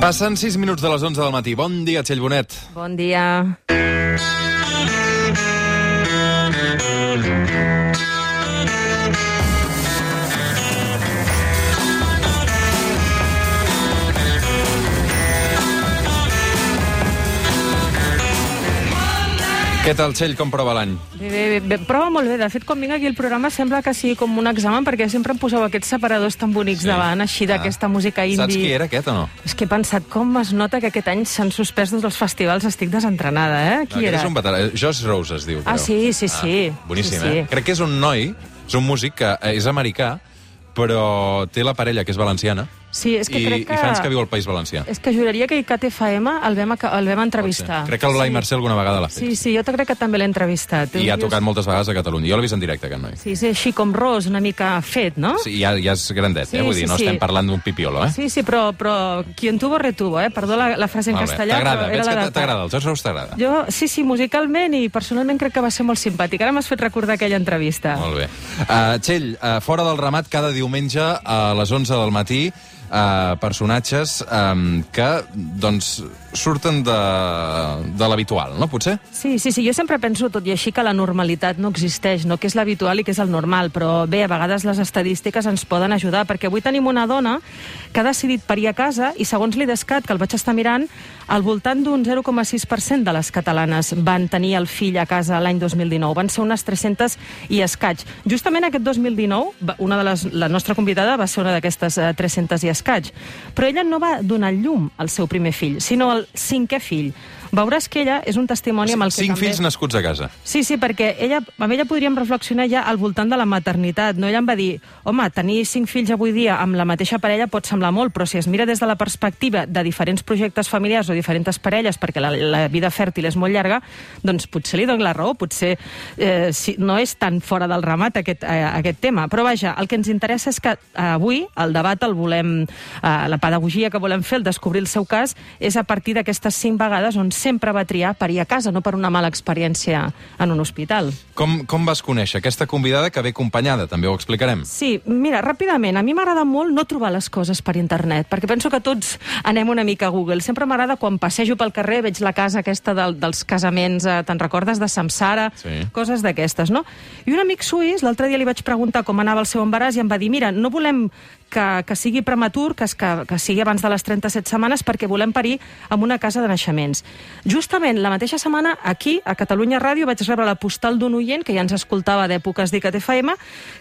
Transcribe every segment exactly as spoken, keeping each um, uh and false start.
Passen sis minuts de les onze del matí. Bon dia, Txell Bonet. Bon dia. Què tal, Txell? Com prova l'any? Bé, bé, bé, prova molt bé. De fet, quan vinc aquí al programa sembla que sigui com un examen, perquè sempre em poseu aquests separadors tan bonics sí. davant, així d'aquesta ah. música indie. Saps qui era aquest o no? És que he pensat, com es nota que aquest any s'han suspès tots els festivals, estic desentrenada, eh? Qui no, era? És un veterà. Josh Rose es diu, Ah, creu. sí, sí, sí. Ah, boníssim, sí, sí. eh? Crec que és un noi, és un músic que és americà, però té la parella, que és valenciana, Sí, és que i, crec que... i fans que viu al País Valencià. És que juraria que a I C A T F M el vam, el vam entrevistar. Crec que el Blai sí. Mercè alguna vegada l'ha fet. Sí, sí, jo crec que també l'he entrevistat. I ha tocat moltes vegades a Catalunya. Jo l'he vist en directe, aquest noi. Sí, sí, així com Ros, una mica fet, no? Sí, ja, ja és grandet, Sí, eh? Vull dir, sí, no sí. estem parlant d'un pipiolo, eh? Sí, sí, però, però quien tuvo retuvo, eh? Perdó la, la frase en Molt bé. castellà, T'agrada, però veig era la que data. t'agrada, el Josh Rose t'agrada. Jo, sí, sí, musicalment i personalment crec que va ser molt simpàtic. Ara m'has fet recordar aquella entrevista. Molt bé. Uh, Txell, uh, fora del ramat, cada diumenge a les onze del matí, uh, personatges um, que, doncs, surten de, de l'habitual, no, potser? Sí, sí, sí, jo sempre penso, tot i així, que la normalitat no existeix, no? Que és l'habitual i que és el normal, però bé, a vegades les estadístiques ens poden ajudar, perquè avui tenim una dona que ha decidit parir a casa i, segons l'IDESCAT, que el vaig estar mirant, al voltant d'un zero coma sis per cent de les catalanes van tenir el fill a casa l'any dos mil dinou. Van ser unes tres-centes i escaig. Justament aquest dos mil dinou, una de les, la nostra convidada va ser una d'aquestes uh, tres-centes i escaig. Però ella no va donar llum al seu primer fill, sinó al cinquè fill. Veuràs que ella és un testimoni amb el que Cinc també... fills nascuts a casa. Sí, sí, perquè ella, amb ella podríem reflexionar ja al voltant de la maternitat. No? Ella em va dir, home, tenir cinc fills avui dia amb la mateixa parella pot semblar molt, però si es mira des de la perspectiva de diferents projectes familiars o diferents parelles, perquè la, la vida fèrtil és molt llarga, doncs potser li dono la raó, potser eh, si, no és tan fora del ramat aquest, eh, aquest tema. Però vaja, el que ens interessa és que eh, avui el debat el volem, eh, la pedagogia que volem fer, el descobrir el seu cas, és a partir d'aquestes cinc vegades on sempre va triar parir a casa, no per una mala experiència en un hospital. Com, com vas conèixer aquesta convidada que ve acompanyada? També ho explicarem. Sí, mira, ràpidament, a mi m'agrada molt no trobar les coses per internet, perquè penso que tots anem una mica a Google. Sempre m'agrada quan passejo pel carrer, veig la casa aquesta del, dels casaments, eh, te'n recordes, de Samsara? Sí. Coses d'aquestes, no? I un amic suís, l'altre dia li vaig preguntar com anava el seu embaràs i em va dir, mira, no volem que, que sigui prematur, que, es, que, que sigui abans de les trenta-set setmanes, perquè volem parir en una casa de naixements. Justament la mateixa setmana, aquí, a Catalunya Ràdio, vaig rebre la postal d'un oient que ja ens escoltava d'èpoques d'I C A T F M,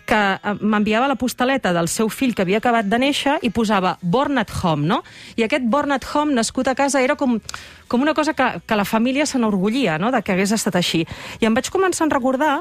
que m'enviava la postaleta del seu fill que havia acabat de néixer i posava Born at Home, no? I aquest Born at Home, nascut a casa, era com, com una cosa que, que la família se n'orgullia, no?, de que hagués estat així. I em vaig començar a recordar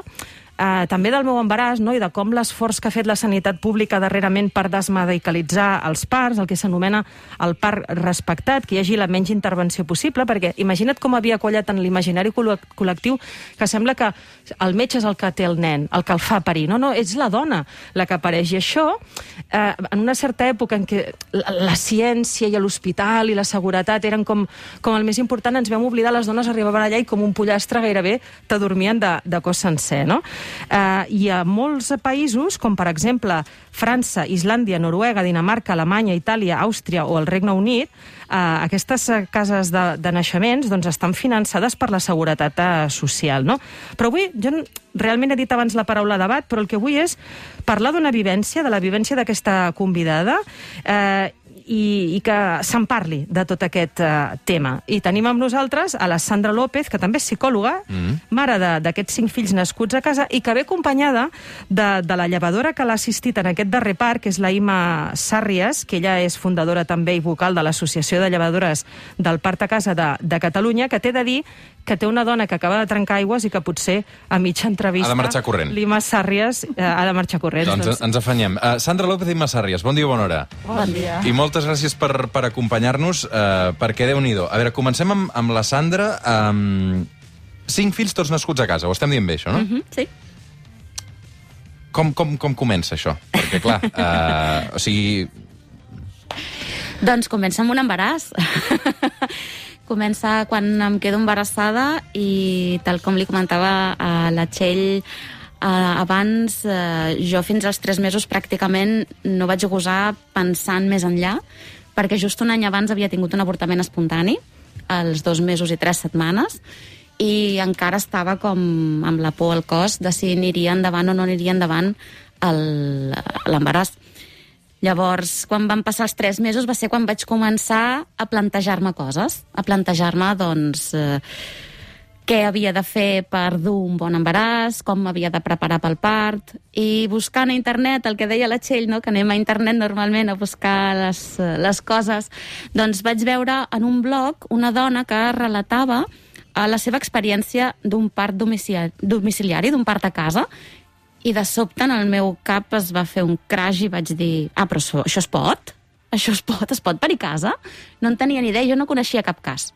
Uh, també del meu embaràs, no?, i de com l'esforç que ha fet la sanitat pública darrerament per desmedicalitzar els parts, el que s'anomena el part respectat, que hi hagi la menys intervenció possible, perquè imagina't com havia quallat en l'imaginari col·lectiu que sembla que el metge és el que té el nen, el que el fa parir. No, no, és la dona la que apareix. I això, uh, en una certa època en què la, la ciència i l'hospital i la seguretat eren com, com el més important, ens vam oblidar, les dones arribaven allà i com un pollastre gairebé t'adormien de, de cos sencer, no? Uh, I a molts països, com per exemple França, Islàndia, Noruega, Dinamarca, Alemanya, Itàlia, Àustria o el Regne Unit, uh, aquestes cases de, de naixements doncs, estan finançades per la seguretat uh, social, no? Però avui, jo realment he dit abans la paraula debat, però el que vull és parlar d'una vivència, de la vivència d'aquesta convidada, eh, i, i que se'n parli de tot aquest uh, tema. I tenim amb nosaltres a la Sandra López, que també és psicòloga, mm. mare d'aquests cinc fills nascuts a casa, i que ve acompanyada de, de la llevadora que l'ha assistit en aquest darrer part, que és la Ima Sàrries, que ella és fundadora també i vocal de l'Associació de Llevadores del Part a Casa de, de Catalunya, que té de dir que té una dona que acaba de trencar aigües i que potser a mitja entrevista... Ha de marxar corrent. L'Ima Sàrries eh, ha de marxar corrent. Doncs, doncs ens afanyem. Uh, Sandra López i Ima Sàrries, bon dia, bona hora. Bon dia. I moltes gràcies per, per acompanyar-nos, uh, perquè Déu-n'hi-do. A veure, comencem amb, amb la Sandra. Um, cinc fills tots nascuts a casa, ho estem dient bé, això, no? Mm-hmm, sí. Com, com, com comença això? Perquè, clar, uh, o sigui... Doncs comença amb un embaràs. Comença quan em quedo embarassada i, tal com li comentava a la Txell eh, abans, eh, jo fins als tres mesos pràcticament no vaig gosar pensant més enllà, perquè just un any abans havia tingut un avortament espontani, als dos mesos i tres setmanes, i encara estava com amb la por al cos de si aniria endavant o no aniria endavant l'embaràs. Llavors, quan van passar els tres mesos va ser quan vaig començar a plantejar-me coses, a plantejar-me, doncs, eh, què havia de fer per dur un bon embaràs, com m'havia de preparar pel part, i buscant a internet, el que deia la Txell, no? Que anem a internet normalment a buscar les, les coses, doncs vaig veure en un blog una dona que relatava a la seva experiència d'un part domiciliari, d'un part a casa, i de sobte en el meu cap es va fer un crash i vaig dir, ah, però això, això es pot? Això es pot? Es pot parir a casa? No en tenia ni idea, jo no coneixia cap cas.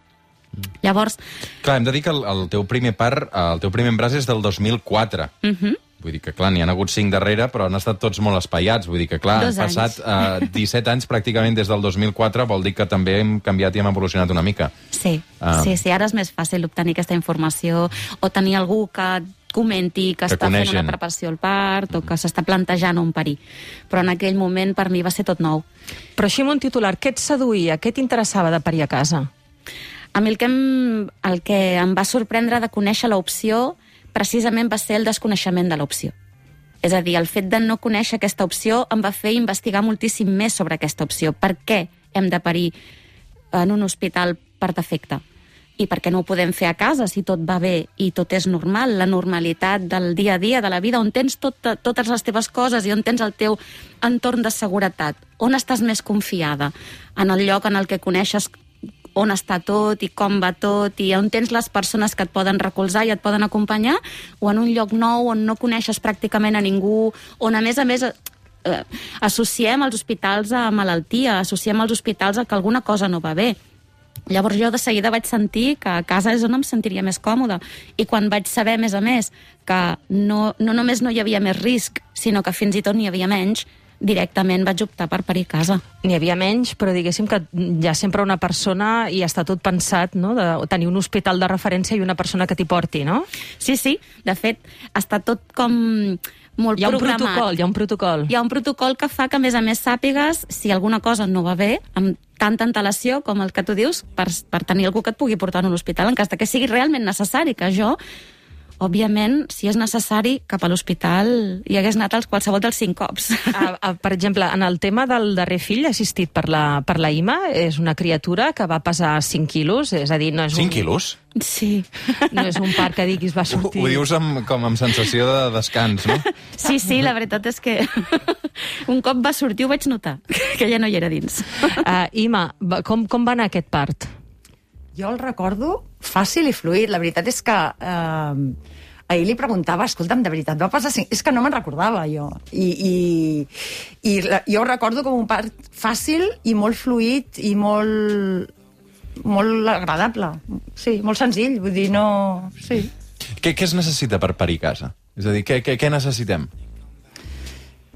Mm. Llavors... Clar, hem de dir que el, el teu primer part, el teu primer embràs és del dos mil quatre. Mhm. Uh-huh. Vull dir que, clar, n'hi ha hagut cinc darrere, però han estat tots molt espaiats. Vull dir que, clar, han passat uh, disset anys pràcticament des del dos mil quatre, vol dir que també hem canviat i hem evolucionat una mica. Sí, uh, sí, sí, ara és més fàcil obtenir aquesta informació o tenir algú que comenti que, que està coneixen. Fent una preparació al part o que s'està plantejant un parir. Però en aquell moment per mi va ser tot nou. Però així amb un titular, què et seduïa? Què t'interessava de parir a casa? A mi el que, em, el que em va sorprendre de conèixer l'opció precisament va ser el desconeixement de l'opció. És a dir, el fet de no conèixer aquesta opció em va fer investigar moltíssim més sobre aquesta opció. Per què hem de parir en un hospital per defecte? I per què no ho podem fer a casa si tot va bé i tot és normal, la normalitat del dia a dia, de la vida, on tens tot, totes les teves coses i on tens el teu entorn de seguretat? On estàs més confiada? En el lloc en el que coneixes on està tot i com va tot i on tens les persones que et poden recolzar i et poden acompanyar, o en un lloc nou on no coneixes pràcticament a ningú, on a més a més eh, associem els hospitals a malaltia, associem els hospitals a que alguna cosa no va bé. Llavors jo de seguida vaig sentir que a casa és on em sentiria més còmoda, i quan vaig saber, a més a més, que no, no només no hi havia més risc, sinó que fins i tot n'hi havia menys, directament vaig optar per parir a casa. N'hi havia menys, però diguéssim que hi ha sempre una persona i està tot pensat, no?, de tenir un hospital de referència i una persona que t'hi porti, no? Sí, sí. De fet, està tot com molt hi ha un programat. protocol, hi ha un protocol. Hi ha un protocol que fa que, a més a més, sàpigues si alguna cosa no va bé, amb tanta antelació com el que tu dius, per, per tenir algú que et pugui portar a un hospital, en cas de que sigui realment necessari, que jo... Òbviament, si és necessari, cap a l'hospital hi hagués anat als qualsevol dels cinc cops. A, a, per exemple, en el tema del darrer fill assistit per la, per la Ima, és una criatura que va pesar cinc quilos, és a dir, no és cinc un... quilos? Sí. No és un part que diguis va sortir... Ho, ho dius amb, com amb sensació de descans, no? Sí, sí, la veritat és que un cop va sortir ho vaig notar, que ja no hi era dins. Uh, Ima, com, com va anar aquest part? Jo el recordo fàcil i fluid. La veritat és que eh, ahir li preguntava, escolta'm, de veritat, va passar cinc... És que no me'n recordava, jo. I, i, i la, jo ho recordo com un part fàcil i molt fluid i molt, molt agradable. Sí, molt senzill, vull dir, no... Sí. Què, què es necessita per parir a casa? És a dir, què, què, què necessitem?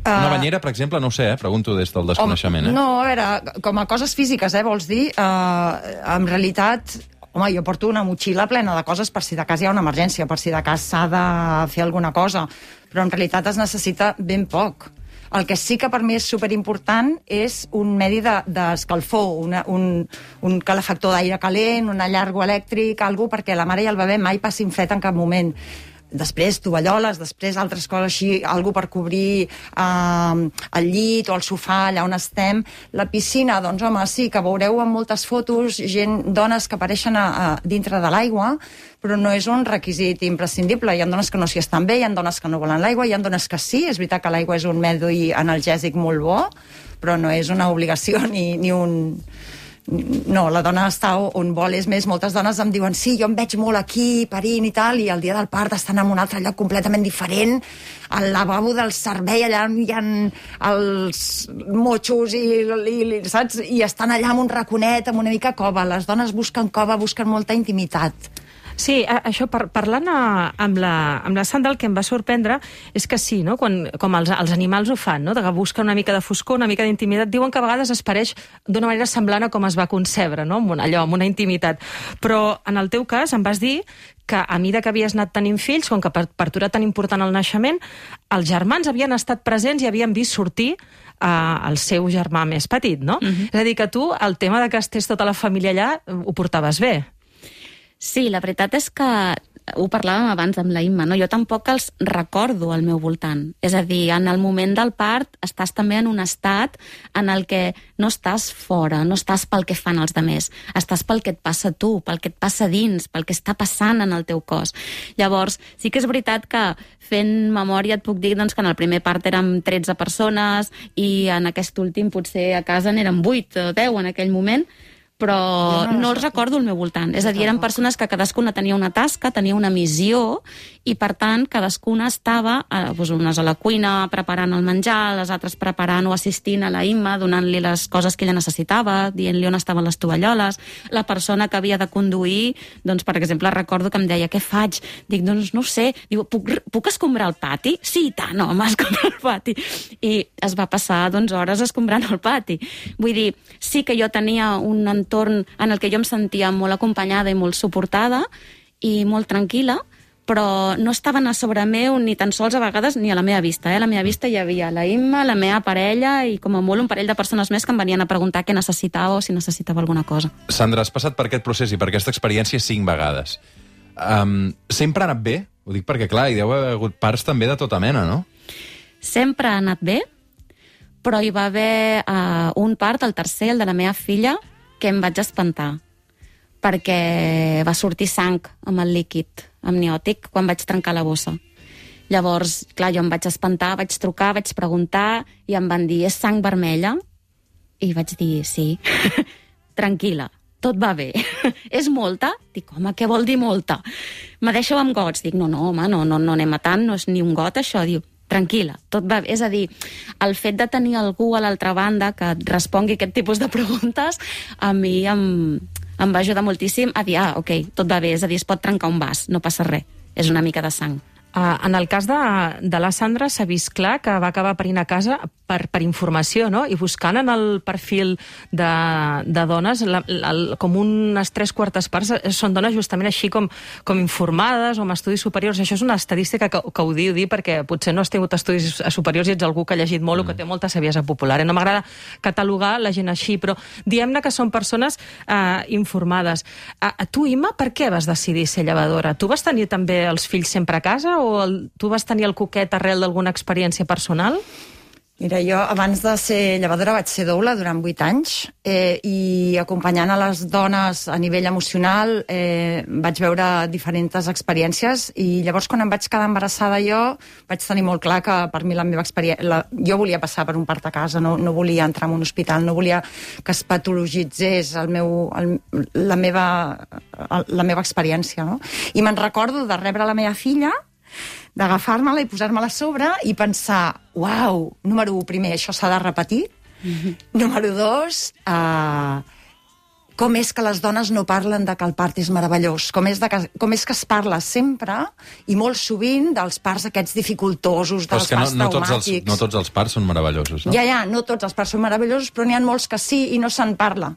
Una banyera, per exemple, no ho sé, eh? Pregunto des del desconeixement. Eh? No, a veure, com a coses físiques, eh, vols dir? Uh, en realitat, home, jo porto una motxilla plena de coses per si de cas hi ha una emergència, per si de cas s'ha de fer alguna cosa, però en realitat es necessita ben poc. El que sí que per mi és superimportant és un medi d'escalfor, de, una, un, un calefactor d'aire calent, un allargo elèctric, algo perquè la mare i el bebè mai passin fred en cap moment. Després tovalloles, després altres coses així, algo per cobrir eh, el llit o el sofà allà on estem. La piscina, doncs home, sí, que veureu en moltes fotos gent, dones que apareixen a, a, dintre de l'aigua, però no és un requisit imprescindible. Hi ha dones que no s'hi estan bé, hi ha dones que no volen l'aigua, hi ha dones que sí, és veritat que l'aigua és un medi analgèsic molt bo, però no és una obligació ni, ni un... No, la dona està on vol. És més, moltes dones em diuen sí, jo em veig molt aquí, parint i tal, i el dia del part estan en un altre lloc completament diferent, al lavabo del servei, allà on hi ha els motxos i, i, saps? I estan allà amb un raconet, amb una mica cova. Les dones busquen cova, busquen molta intimitat. Sí, això, par parlant a, amb, la, amb la Sandra, el que em va sorprendre és que sí, no? Quan, com els, els animals ho fan, no? De que busquen una mica de foscor, una mica d'intimitat, diuen que a vegades es pareix d'una manera semblant a com es va concebre, no? Amb una, allò, amb una intimitat. Però en el teu cas em vas dir que a mesura que havies anat tenint fills, com que per, per tu era tan important el naixement, els germans havien estat presents i havien vist sortir al seu germà més petit, no? Uh-huh. És a dir, que tu, el tema de que estés tota la família allà, ho portaves bé. Sí, la veritat és que ho parlàvem abans amb la Imma, no? Jo tampoc els recordo al meu voltant. És a dir, en el moment del part estàs també en un estat en el que no estàs fora, no estàs pel que fan els demés, estàs pel que et passa a tu, pel que et passa dins, pel que està passant en el teu cos. Llavors, sí que és veritat que fent memòria et puc dir doncs, que en el primer part érem tretze persones i en aquest últim potser a casa n'eren vuit o deu en aquell moment, però no, no els recordo al meu voltant. És a dir, eren persones que cadascuna tenia una tasca, tenia una missió, i per tant cadascuna estava, eh, doncs unes a la cuina preparant el menjar, les altres preparant o assistint a la Imma, donant-li les coses que ella necessitava, dient-li on estaven les tovalloles. La persona que havia de conduir, doncs, per exemple, recordo que em deia, què faig? Dic, doncs no ho sé. Diu, puc, puc escombrar el pati? Sí, i tant, home, escombrar el pati. I es va passar, doncs, hores escombrant el pati. Vull dir, sí que jo tenia un entorn en el que jo em sentia molt acompanyada i molt suportada i molt tranquil·la, però no estaven a sobre meu ni tan sols a vegades ni a la meva vista. Eh? A la meva vista hi havia la Imma, la meva parella i com a molt un parell de persones més que em venien a preguntar què necessitava o si necessitava alguna cosa. Sandra, has passat per aquest procés i per aquesta experiència cinc vegades. Um, sempre ha anat bé? Ho dic perquè, clar, hi deu haver hagut parts també de tota mena, no? Sempre ha anat bé, però hi va haver uh, un part, el tercer, el de la meva filla, que em vaig espantar, perquè va sortir sang amb el líquid amniòtic quan vaig trencar la bossa. Llavors, clar, jo em vaig espantar, vaig trucar, vaig preguntar, i em van dir, és sang vermella? I vaig dir, sí. Tranquil·la, tot va bé. És molta? Dic, home, què vol dir molta? Me deixeu amb gots? Dic, no, no, home, no, no, no anem a tant, no és ni un got, això. Diu, tranquil·la, tot va bé. És a dir, el fet de tenir algú a l'altra banda que et respongui aquest tipus de preguntes, a mi em, em va ajudar moltíssim a dir, ah, ok, tot va bé, és a dir, es pot trencar un vas, no passa res, és una mica de sang. Uh, en el cas de, de la Sandra s'ha vist clar que va acabar parint a casa per, per informació, no? I buscant en el perfil de, de dones, la, la, com unes tres quartes parts són dones justament així com, com informades o amb estudis superiors. Això és una estadística que, que ho diu dir perquè potser no has tingut estudis superiors i ets algú que ha llegit molt mm. o que té molta saviesa popular. Eh? No m'agrada catalogar la gent així, però diguem-ne que són persones uh, informades. Uh, tu, Imma, per què vas decidir ser llevadora? Tu vas tenir també els fills sempre a casa o el, tu vas tenir el coquet arrel d'alguna experiència personal? Mira, jo abans de ser llevadora vaig ser doula durant vuit anys eh, i acompanyant a les dones a nivell emocional eh, vaig veure diferents experiències i llavors quan em vaig quedar embarassada jo vaig tenir molt clar que per mi la meva experiència... La, jo volia passar per un part a casa, no, no volia entrar en un hospital, no volia que es patologitzés el meu, el, la, meva, la meva experiència. No? I me'n recordo de rebre la meva filla, d'agafar-me-la i posar-me-la a sobre i pensar, uau, número un, primer, això s'ha de repetir. Mm-hmm. Número dos, uh, com és que les dones no parlen de que el part és meravellós? Com és, de que, com és que es parla sempre i molt sovint dels parts aquests dificultosos, dels parts no, no traumàtics. Tots els, no tots els parts són meravellosos, no? Ja, ja, no tots els parts són meravellosos, però n'hi ha molts que sí i no se'n parla.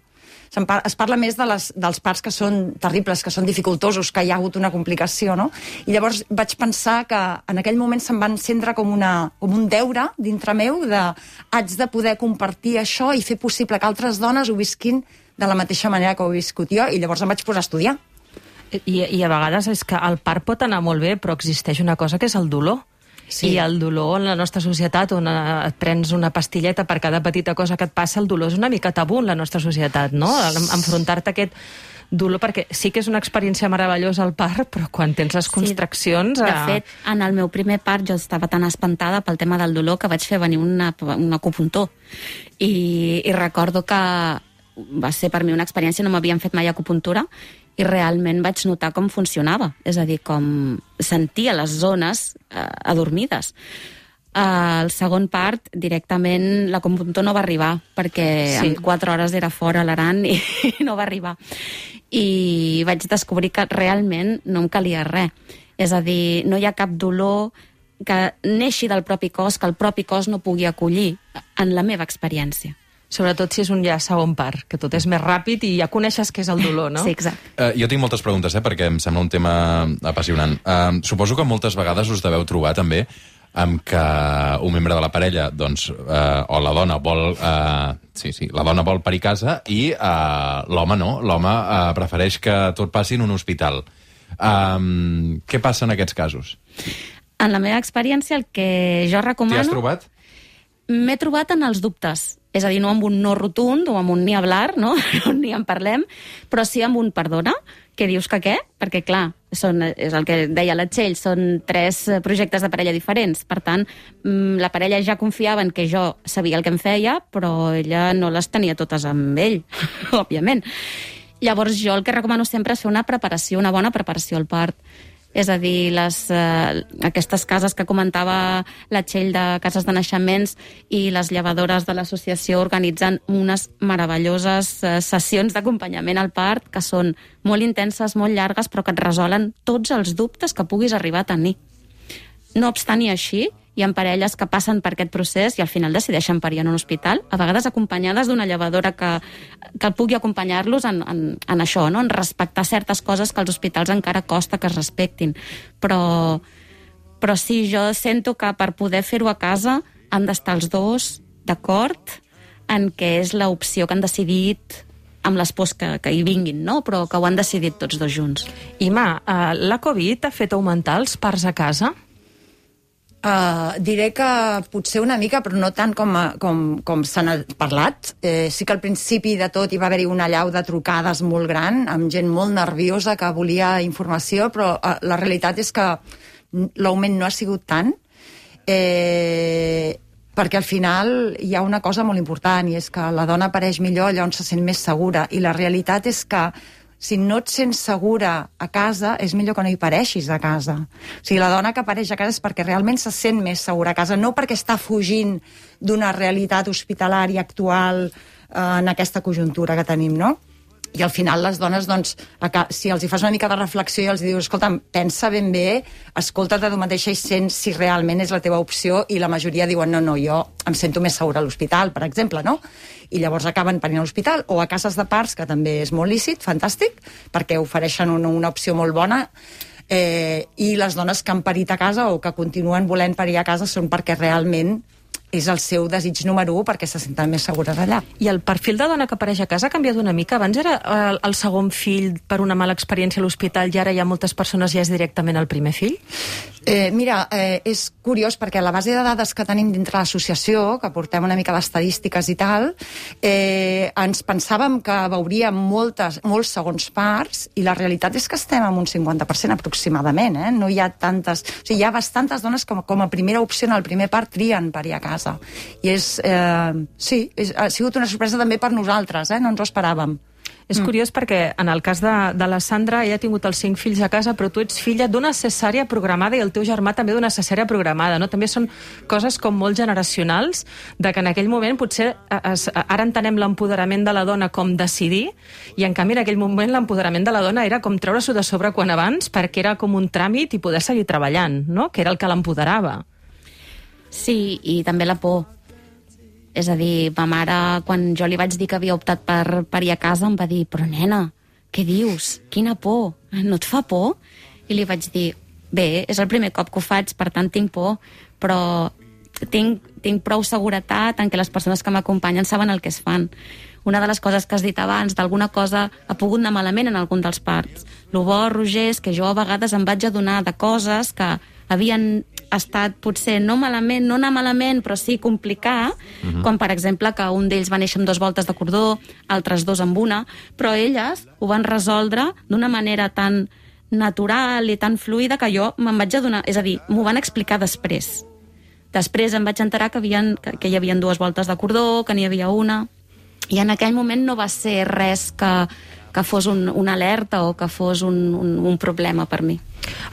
Es parla més de les, dels parts que són terribles, que són dificultosos, que hi ha hagut una complicació, no? I llavors vaig pensar que en aquell moment se'm va encendre com, una, com un deure dintre meu de haig de poder compartir això i fer possible que altres dones ho visquin de la mateixa manera que ho he viscut jo, i llavors em vaig posar a estudiar. I, i a vegades és que el part pot anar molt bé, però existeix una cosa que és el dolor. Sí. I el dolor en la nostra societat, on et prens una pastilleta per cada petita cosa que et passa, el dolor és una mica tabú en la nostra societat, no? Enfrontar-te a aquest dolor, perquè sí que és una experiència meravellosa el part, però quan tens les contraccions... Sí, de fet, en el meu primer part jo estava tan espantada pel tema del dolor que vaig fer venir una, un acupuntor. I, I recordo que va ser per mi una experiència, no m'havien fet mai acupuntura, i realment vaig notar com funcionava, és a dir, com sentia les zones eh, adormides. Al segon part, directament, l'acupuntor no va arribar, perquè sí. en quatre hores era fora a l'Aran i, i no va arribar. I vaig descobrir que realment no em calia res. És a dir, no hi ha cap dolor que neixi del propi cos, que el propi cos no pugui acollir en la meva experiència. Sobretot si és un ja segon part, que tot és més ràpid i ja coneixes què és el dolor, no? Sí, exacte. Uh, jo tinc moltes preguntes, eh, perquè em sembla un tema apassionant. Uh, suposo que moltes vegades us deveu trobar també en què un membre de la parella, doncs, eh, o la dona vol... Eh, sí, sí, la dona vol parir a casa i eh, l'home no. L'home eh, prefereix que tot passi en un hospital. Um, què passa en aquests casos? En la meva experiència, el que jo recomano... T'hi has trobat? M'he trobat en els dubtes. És a dir, no amb un no rotund o amb un ni hablar, no? Ni en parlem, però sí amb un perdona, que dius que què? Perquè, clar, són, és el que deia la Txell, són tres projectes de parella diferents. Per tant, la parella ja confiava en que jo sabia el que em feia, però ella no les tenia totes amb ell, òbviament. Llavors, jo el que recomano sempre és fer una preparació, una bona preparació al part. És a dir, les, eh, aquestes cases que comentava la Txell de cases de naixements i les llevadores de l'associació organitzen unes meravelloses eh, sessions d'acompanyament al part que són molt intenses, molt llargues, però que et resolen tots els dubtes que puguis arribar a tenir. No obstant i així, hi ha parelles que passen per aquest procés i al final decideixen parir en un hospital, a vegades acompanyades d'una llevadora que, que pugui acompanyar-los en, en, en això, no? En respectar certes coses que als hospitals encara costa que es respectin. Però, però sí, jo sento que per poder fer-ho a casa han d'estar els dos d'acord en què és l'opció que han decidit amb les pors que, que hi vinguin, no? Però que ho han decidit tots dos junts. Ima, uh, la Covid ha fet augmentar els parts a casa? Uh, diré que potser una mica, però no tant com, com, com se n'ha parlat. Eh, sí que al principi de tot hi va haver-hi una allau de trucades molt gran, amb gent molt nerviosa que volia informació, però uh, la realitat és que l'augment no ha sigut tant, eh, perquè al final hi ha una cosa molt important, i és que la dona apareix millor allà on se sent més segura, i la realitat és que si no et sents segura a casa, és millor que no hi pareixis a casa. O sigui, la dona que apareix a casa és perquè realment se sent més segura a casa, no perquè està fugint d'una realitat hospitalària actual eh, en aquesta conjuntura que tenim, no? I al final les dones, doncs, si els hi fas una mica de reflexió i els dius, escolta, pensa ben bé, escolta't a tu mateixa i sents si realment és la teva opció, i la majoria diuen, no, no, jo em sento més segura a l'hospital, per exemple, no? I llavors acaben parint a l'hospital, o a cases de parts, que també és molt lícit, fantàstic, perquè ofereixen una, una opció molt bona, eh, i les dones que han parit a casa o que continuen volent parir a casa són perquè realment és el seu desig número u, perquè se senten més segures allà. I el perfil de dona que apareix a casa ha canviat una mica? Abans era el, el segon fill per una mala experiència a l'hospital i ara hi ha moltes persones ja és directament el primer fill? Eh, mira, eh, és curiós perquè la base de dades que tenim dintre l'associació, que portem una mica d'estadístiques i tal, eh, ens pensàvem que veuríem moltes, molts segons parts, i la realitat és que estem en un cinquanta per cent aproximadament, eh? No hi ha tantes... O sigui, hi ha bastantes dones com, com a primera opció en el primer part trien parir a casa. I és, eh, sí, és, ha sigut una sorpresa també per nosaltres, eh? No ens ho esperàvem. És mm. curiós perquè en el cas de, de la Sandra, ella ha tingut els cinc fills a casa, però tu ets filla d'una cesària programada i el teu germà també d'una cesària programada, no? També són coses com molt generacionals, de que en aquell moment potser es, ara entenem l'empoderament de la dona com decidir, i en canvi en aquell moment l'empoderament de la dona era com treure-s'ho de sobre quan abans, perquè era com un tràmit i poder seguir treballant, no? Que era el que l'empoderava. Sí, i també la por. És a dir, ma mare, quan jo li vaig dir que havia optat per parir a casa, em va dir, però nena, què dius? Quina por? No et fa por? I li vaig dir, bé, és el primer cop que ho faig, per tant tinc por, però tinc, tinc prou seguretat en què les persones que m'acompanyen saben el que es fan. Una de les coses que has dit abans, d'alguna cosa ha pogut anar malament en algun dels parts. Lo bo, Roger, és que jo a vegades em vaig adonar de coses que havien estat potser no malament, no anar malament, però sí complicar, uh-huh. Com per exemple que un d'ells va néixer amb dues voltes de cordó, altres dos amb una, però elles ho van resoldre d'una manera tan natural i tan fluida que jo me'n vaig adonar, és a dir, m'ho van explicar després. Després em vaig enterar que, havien, que, que hi havia dues voltes de cordó, que n'hi havia una, i en aquell moment no va ser res que, que fos un, una alerta o que fos un, un, un problema per mi.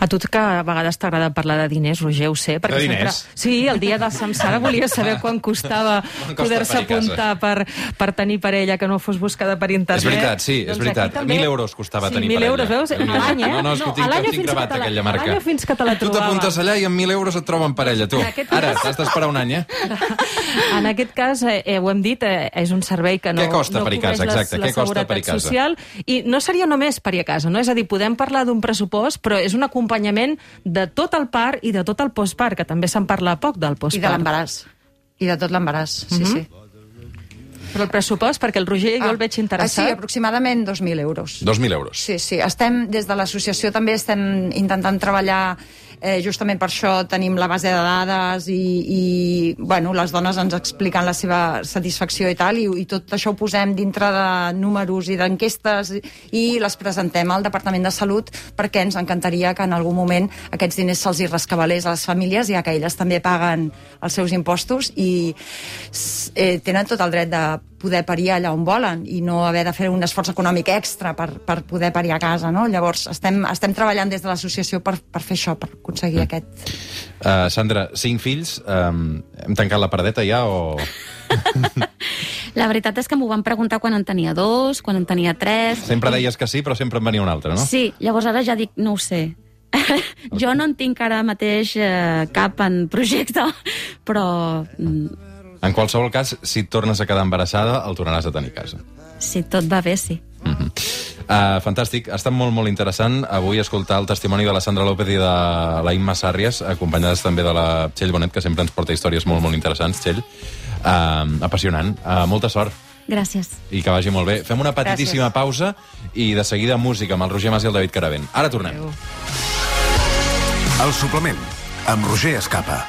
A tu que a vegades t'agrada parlar de diners, Roger, ho sé. De diners? Sempre... Sí, el dia de Samsara volia saber quan costava poder-se apuntar per, per tenir parella que no fos buscada per internet. És veritat, sí, és doncs veritat. També... Mil euros costava sí, tenir mil parella. Euros, veus? A l'any, eh? No, no, és que ho tinc, no, tinc gravat, aquella marca. A l'any fins que te la trobava. Tu t'apuntes allà i amb mil euros et troben parella, tu. Ara, t'has d'esperar un any, eh? En aquest cas, eh, ho hem dit, eh, és un servei que no, què costa no parir a casa, exacte, la què costa parir a casa? Social, i no seria només parir a casa, no? És a dir, podem parlar d'un pressupost, però és una un acompanyament de tot el part i de tot el postpart, que també se'n parla poc del postpart. I de l'embaràs. I de tot l'embaràs, sí, Mhm. sí. Però el pressupost, perquè el Roger jo el veig interessat. Ah, sí, aproximadament dos mil euros. dos mil euros. Sí, sí. Estem, des de l'associació també estem intentant treballar, eh, justament per això tenim la base de dades i, i bueno, les dones ens expliquen la seva satisfacció i tal, i, i tot això ho posem dintre de números i d'enquestes i, i les presentem al Departament de Salut, perquè ens encantaria que en algun moment aquests diners se'ls hi rescabalés a les famílies, ja que elles també paguen els seus impostos i eh, tenen tot el dret de poder parir allà on volen i no haver de fer un esforç econòmic extra per, per poder parir a casa, no? Llavors, estem, estem treballant des de l'associació per, per fer això, per aconseguir mm. aquest... Uh, Sandra, cinc fills, um, hem tancat la paradeta ja o...? La veritat és que m'ho van preguntar quan en tenia dos, quan en tenia tres... Sempre deies que sí, però sempre en venia un altre, no? Sí, llavors ara ja dic, no ho sé. Jo no en tinc ara mateix eh, cap en projecte, però... Mm, En qualsevol cas, si et tornes a quedar embarassada, el tornaràs a tenir a casa. si tot va bé, sí. Mm-hmm. uh, fantàstic, ha estat molt, molt interessant avui escoltar el testimoni de la Sandra López i de la Imma Sàrries, acompanyades també de la Txell Bonet, que sempre ens porta històries molt, molt interessants, Txell. Uh, apassionant. Uh, molta sort. Gràcies. I que vagi molt bé. Fem una petitíssima Gràcies. pausa i de seguida música amb el Roger Mas i el David Caravent. Ara tornem. Adéu. El suplement, amb Roger Escapa.